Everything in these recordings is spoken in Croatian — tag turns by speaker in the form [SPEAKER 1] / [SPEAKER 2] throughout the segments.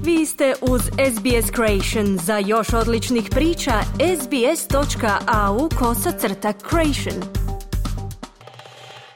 [SPEAKER 1] Vi ste uz SBS Creation. Za još odličnih priča, sbs.au/creation.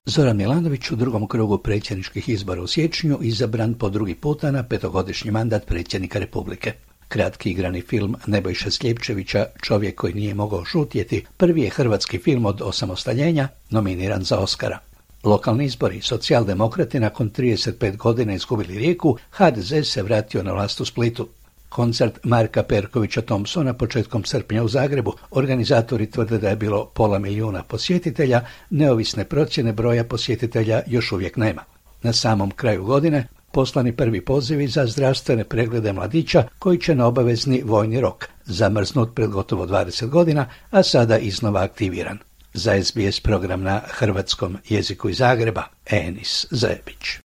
[SPEAKER 2] Zoran Milanović u drugom krugu predsjedničkih izbora u siječnju izabran po drugi puta na 5-godišnji mandat predsjednika Republike. Kratki igrani film Nebojše Sljepčevića, Čovjek koji nije mogao šutjeti, prvi je hrvatski film od osamostaljenja nominiran za Oskara. Lokalni izbori, socijaldemokrati nakon 35 godina izgubili Rijeku, HDZ se vratio na vlast u Splitu. Koncert Marka Perkovića Thompsona početkom srpnja u Zagrebu. Organizatori tvrde da je bilo 500.000 posjetitelja, neovisne procjene broja posjetitelja još uvijek nema. Na samom kraju godine poslani prvi pozivi za zdravstvene preglede mladića koji će na obavezni vojni rok, zamrznut pred gotovo 20 godina, a sada iznova aktiviran. Za SBS program na hrvatskom jeziku iz Zagreba, Enis Zebić.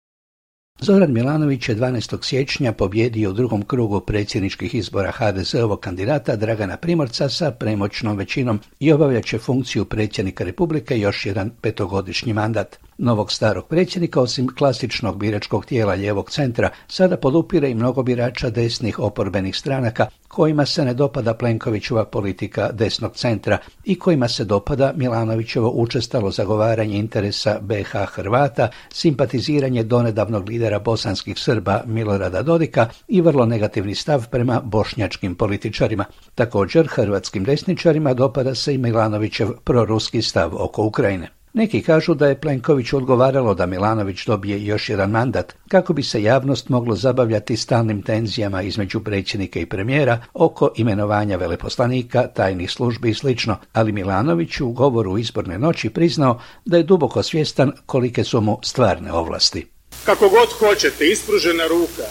[SPEAKER 2] Zoran Milanović je 12. siječnja pobjedio u drugom krugu predsjedničkih izbora HDZ-ovog kandidata Dragana Primorca sa premoćnom većinom i obavljat će funkciju predsjednika Republike još jedan 5-godišnji mandat. Novog starog predsjednika, osim klasičnog biračkog tijela lijevog centra, sada podupire i mnogo birača desnih oporbenih stranaka kojima se ne dopada Plenkovićeva politika desnog centra i kojima se dopada Milanovićevo učestalo zagovaranje interesa BiH Hrvata, simpatiziranje donedavnog lidera bosanskih Srba Milorada Dodika i vrlo negativni stav prema bošnjačkim političarima. Također, hrvatskim desničarima dopada se i Milanovićev proruski stav oko Ukrajine. Neki kažu da je Plenkoviću odgovaralo da Milanović dobije još jedan mandat, kako bi se javnost moglo zabavljati stalnim tenzijama između predsjednika i premijera oko imenovanja veleposlanika, tajnih službi i sl., ali Milanović u govoru u izborne noći priznao da je duboko svjestan kolike su mu stvarne ovlasti.
[SPEAKER 3] Kako god hoćete, ispružena ruka,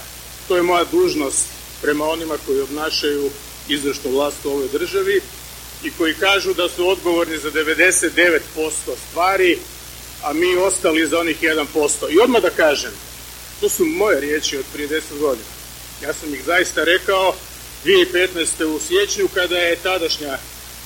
[SPEAKER 3] to je moja dužnost prema onima koji obnašaju izvršnu vlast u ovoj državi i koji kažu da su odgovorni za 99% stvari, a mi ostali za onih 1%. I odmah da kažem, to su moje riječi od prije 10 godina. Ja sam ih zaista rekao 2015. u siječnju kada je tadašnja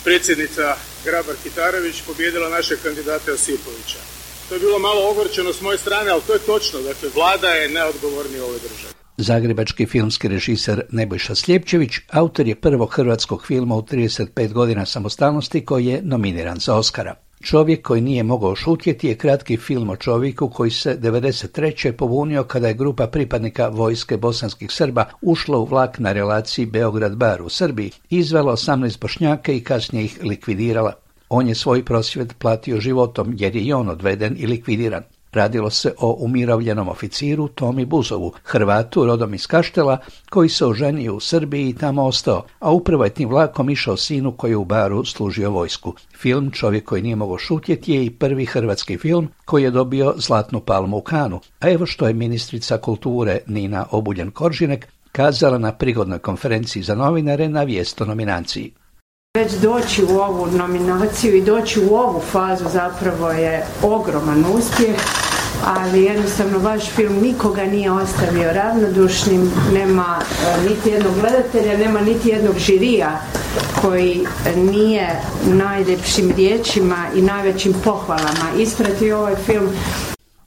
[SPEAKER 3] predsjednica Grabar-Kitarović pobijedila našeg kandidata Josipovića. To je bilo malo ogorčeno s moje strane, ali to je točno. Dakle, vlada je najodgovornija u ovoj državi.
[SPEAKER 2] Zagrebački filmski režiser Nebojša Sljepčević autor je prvog hrvatskog filma u 35 godina samostalnosti koji je nominiran za Oskara. Čovjek koji nije mogao šutjeti je kratki film o čovjeku koji se 1993. pobunio kada je grupa pripadnika vojske bosanskih Srba ušla u vlak na relaciji Beograd-Bar u Srbiji, izvela 18 Bošnjaka i kasnije ih likvidirala. On je svoj prosvjed platio životom jer je i on odveden i likvidiran. Radilo se o umirovljenom oficiru Tomi Buzovu, Hrvatu rodom iz Kaštela, koji se oženio u Srbiji i tamo ostao, a upravo je tim vlakom išao sinu koji je u Baru služio vojsku. Film Čovjek koji nije mogao šutjeti je i prvi hrvatski film koji je dobio Zlatnu palmu u Kanu. A evo što je ministrica kulture Nina Obuljen-Koržinek kazala na prigodnoj konferenciji za novinare na vijest o nominaciji.
[SPEAKER 4] Već doći u ovu nominaciju i doći u ovu fazu zapravo je ogroman uspjeh, ali jednostavno vaš film nikoga nije ostavio ravnodušnim, nema niti jednog gledatelja, nema niti jednog žirija koji nije najljepšim riječima i najvećim pohvalama ispratio ovaj film.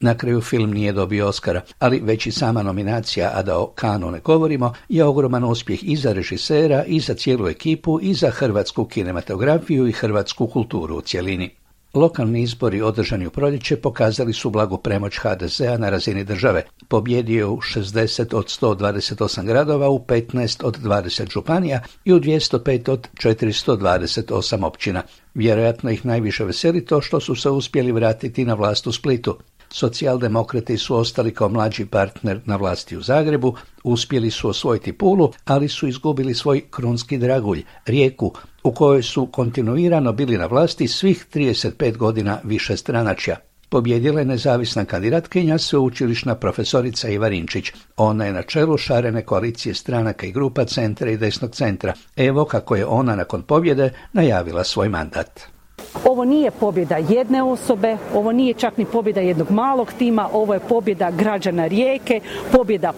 [SPEAKER 2] Na kraju film nije dobio Oskara, ali već i sama nominacija, a da o Kanu ne govorimo, je ogroman uspjeh i za režisera, i za cijelu ekipu, i za hrvatsku kinematografiju i hrvatsku kulturu u cjelini. Lokalni izbori održani u proljeće pokazali su blagu premoć HDZ-a na razini države. Pobjedio je u 60 od 128 gradova, u 15 od 20 županija i u 205 od 428 općina. Vjerojatno ih najviše veseli to što su se uspjeli vratiti na vlast u Splitu. Socijaldemokrati su ostali kao mlađi partner na vlasti u Zagrebu, uspjeli su osvojiti Pulu, ali su izgubili svoj krunski dragulj, Rijeku, u kojoj su kontinuirano bili na vlasti svih 35 godina višestranačja. Pobjedila je nezavisna kandidatkinja, sveučilišna profesorica Iva Rinčić. Ona je na čelu šarene koalicije stranaka i grupa centra i desnog centra. Evo kako je ona nakon pobjede najavila svoj mandat.
[SPEAKER 5] Ovo nije pobjeda jedne osobe, ovo nije čak ni pobjeda jednog malog tima, ovo je pobjeda građana Rijeke, pobjeda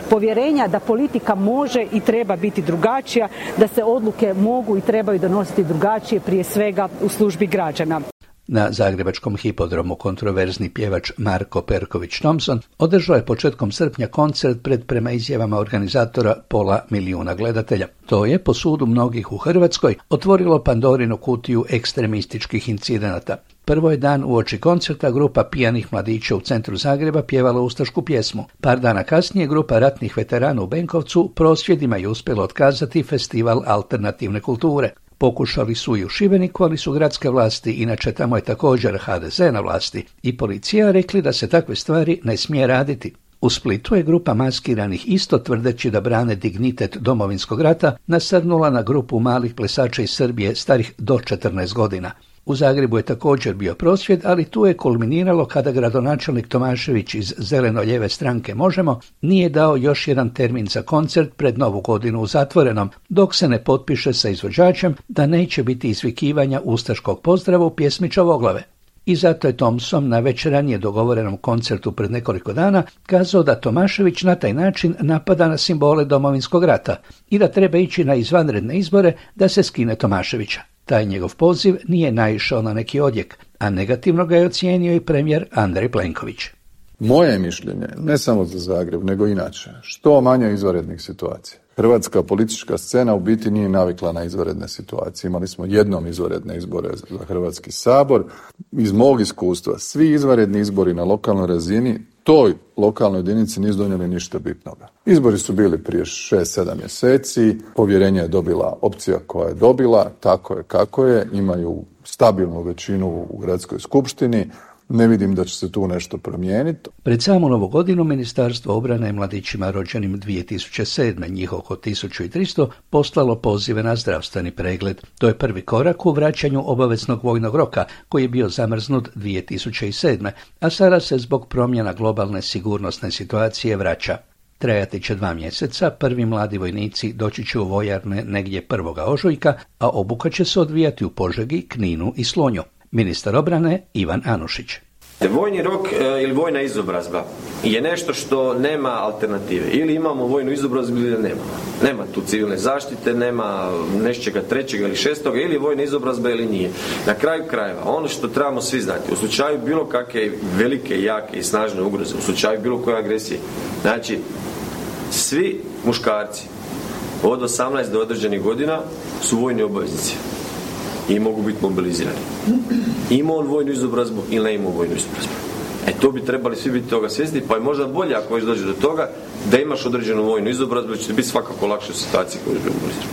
[SPEAKER 5] povjerenja da politika može i treba biti drugačija, da se odluke mogu i trebaju donositi drugačije, prije svega u službi građana.
[SPEAKER 2] Na zagrebačkom hipodromu kontroverzni pjevač Marko Perković Thompson održao je početkom srpnja koncert pred, prema izjavama organizatora, 500 000 gledatelja. To je, po sudu mnogih u Hrvatskoj, otvorilo Pandorinu kutiju ekstremističkih incidenata. Prvo je dan uoči koncerta grupa pijanih mladića u centru Zagreba pjevala ustašku pjesmu. Par dana kasnije grupa ratnih veterana u Benkovcu prosvjedima je uspjela otkazati festival alternativne kulture. Pokušali su i u Šibeniku, ali su gradske vlasti, inače tamo je također HDZ na vlasti, i policija rekli da se takve stvari ne smije raditi. U Splitu je grupa maskiranih, isto tvrdeći da brane dignitet Domovinskog rata, nasrnula na grupu malih plesača iz Srbije starih do 14 godina. U Zagrebu je također bio prosvjed, ali tu je kulminiralo kada gradonačelnik Tomašević iz zeleno-lijeve stranke Možemo nije dao još jedan termin za koncert pred Novu godinu u zatvorenom, dok se ne potpiše sa izvođačem da neće biti izvikivanja ustaškog pozdrava u pjesmi Čavoglave. I zato je Thompson na već ranije dogovorenom koncertu pred nekoliko dana kazao da Tomašević na taj način napada na simbole Domovinskog rata i da treba ići na izvanredne izbore da se skine Tomaševića. Taj njegov poziv nije naišao na neki odjek, a negativno ga je ocijenio i premijer Andrej Plenković.
[SPEAKER 6] Moje mišljenje, ne samo za Zagreb, nego inače, što manje izvanrednih situacija. Hrvatska politička scena u biti nije navikla na izvanredne situacije. Imali smo jednom izvanredne izbore za Hrvatski sabor. Iz mog iskustva, svi izvanredni izbori na lokalnoj razini toj lokalnoj jedinici nisu donijeli ništa bitnoga. Izbori su bili prije 6-7 mjeseci, povjerenje je dobila opcija koja je dobila, tako je kako je, imaju stabilnu većinu u gradskoj skupštini. Ne vidim da će se tu nešto promijeniti.
[SPEAKER 2] Pred samu Novu godinu Ministarstvo obrane je mladićima rođenim 2007, njih oko 1300, poslalo pozive na zdravstveni pregled. To je prvi korak u vraćanju obaveznog vojnog roka, koji je bio zamrznut 2007, a sada se zbog promjena globalne sigurnosne situacije vraća. Trajati će 2 mjeseca, prvi mladi vojnici doći će u vojarne negdje 1. ožujka, a obuka će se odvijati u Požegi, Kninu i Slunju. Ministar obrane Ivan Anušić.
[SPEAKER 7] Vojni rok ili vojna izobrazba je nešto što nema alternative. Ili imamo vojnu izobrazbu ili nema. Nema tu civilne zaštite, nema nečega 3. ili 6. ili vojna izobrazba ili nije. Na kraju krajeva, ono što trebamo svi znati, u slučaju bilo kakve velike, jake i snažne ugroze, u slučaju bilo koje agresije, znači svi muškarci od 18 do određenih godina su vojni obaveznici i mogu biti mobilizirani. Ima on vojnu izobrazbu ili ne ima vojnu izobrazbu. To bi trebali svi biti toga svjesni, pa je možda bolje ako već dođe do toga da imaš određenu vojnu izobrazbu, će biti svakako lakše u situaciji koju bi mobilizirani.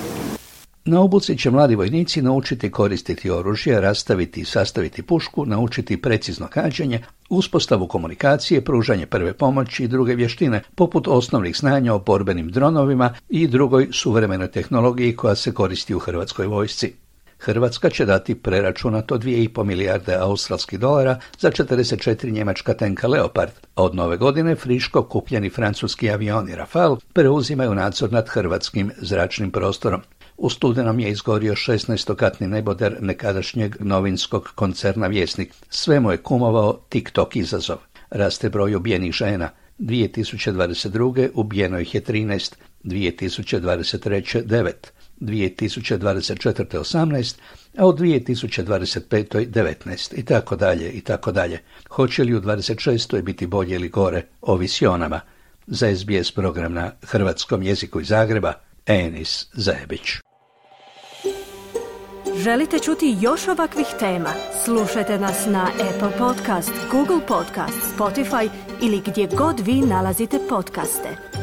[SPEAKER 2] Na obuci će mladi vojnici naučiti koristiti oružje, rastaviti i sastaviti pušku, naučiti precizno gađanje, uspostavu komunikacije, pružanje prve pomoći i druge vještine, poput osnovnih znanja o borbenim dronovima i drugoj suvremenoj tehnologiji koja se koristi u Hrvatskoj vojsci. Hrvatska će dati preračunato 2,5 milijarde australskih dolara za 44 njemačka tenka Leopard, a od nove godine friško kupljeni francuski avioni Rafale preuzimaju nadzor nad hrvatskim zračnim prostorom. U studenom je izgorio 16-katni neboder nekadašnjeg novinskog koncerna Vjesnik. Sve mu je kumovao TikTok izazov. Raste broj ubijenih žena. 2022. ubijeno ih je 13, 2023. 9. 2024. 18, a u 2025. 19, i tako dalje, i tako dalje. Hoće li u 26. biti bolje ili gore, ovisi o nama. Za SBS program na hrvatskom jeziku iz Zagreba, Enis Zajebić.
[SPEAKER 1] Želite čuti još ovakvih tema? Slušajte nas na Apple Podcast, Google Podcast, Spotify ili gdje god vi nalazite podcaste.